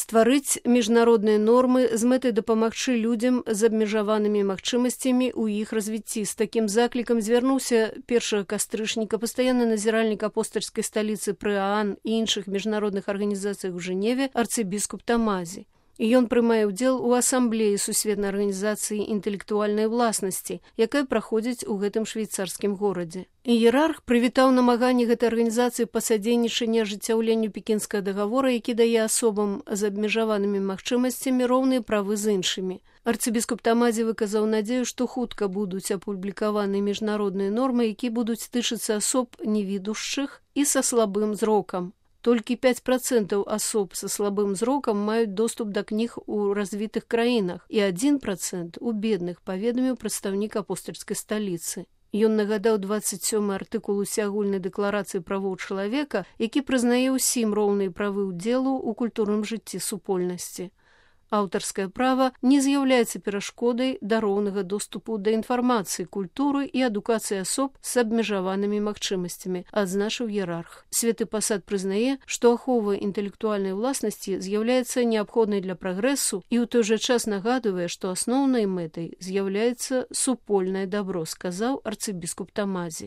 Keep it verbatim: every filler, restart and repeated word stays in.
стварыць міжнародныя нормы з мэтай дапамагчы людзям з абмежаванымі магчымасцямі ў іх развіцці. З такім заклікам звярнуўся першага кастрычніка пастаянны назіральнік апостальскай сталіцы пры ААН і іншых міжнародных арганізацыях у Жэневе арцыбіскуп Тамазі. І ён прымае ўдзел у асамблеі сусветнай арганізацыі інтэлектуальнай уласнасці, якая праходзіць у гэтым швейцарскім горадзе. Іерарх прывітаў намаганні гэтай арганізацыі па садзейнічанні ажыццяўленню пекінскага дагавора, які дае асобам з абмежаванымі магчымасцямі роўныя правы з іншымі. Арцыбіскуп Тамазі выказаў надзею, што хутка будуць апублікаваны міжнародныя нормы, якія будуць тычыцца асоб невідушчых і са слабым зрокам. Толькі пяць працэнтаў асоб са слабым зрокам маюць доступ да кніг у развітых краінах і адзін працэнт у бедных, паведаміў прадстаўнік апостальскай сталіцы. Ён нагадаў дваццаць сёмы артыкул усеагульнай дэкларацыі правоў чалавека, які прызнае ўсім роўныя правы ўдзелу ў культурным жыцці супольнасці. Аўтарскае права не з'яўляецца перашкодай да роўнага доступу да інфармацыі, культуры і адукацыі асоб з абмежаванымі магчымасцямі, адзначыў іерарх. Святы пасад прызнае, што ахова інтэлектуальнай уласнасці з'яўляецца неабходнай для прагрэсу і ў той жа час нагадвае, што асноўнай мэтай з'яўляецца супольнае дабро, сказаў арцыбіскуп Тамазі.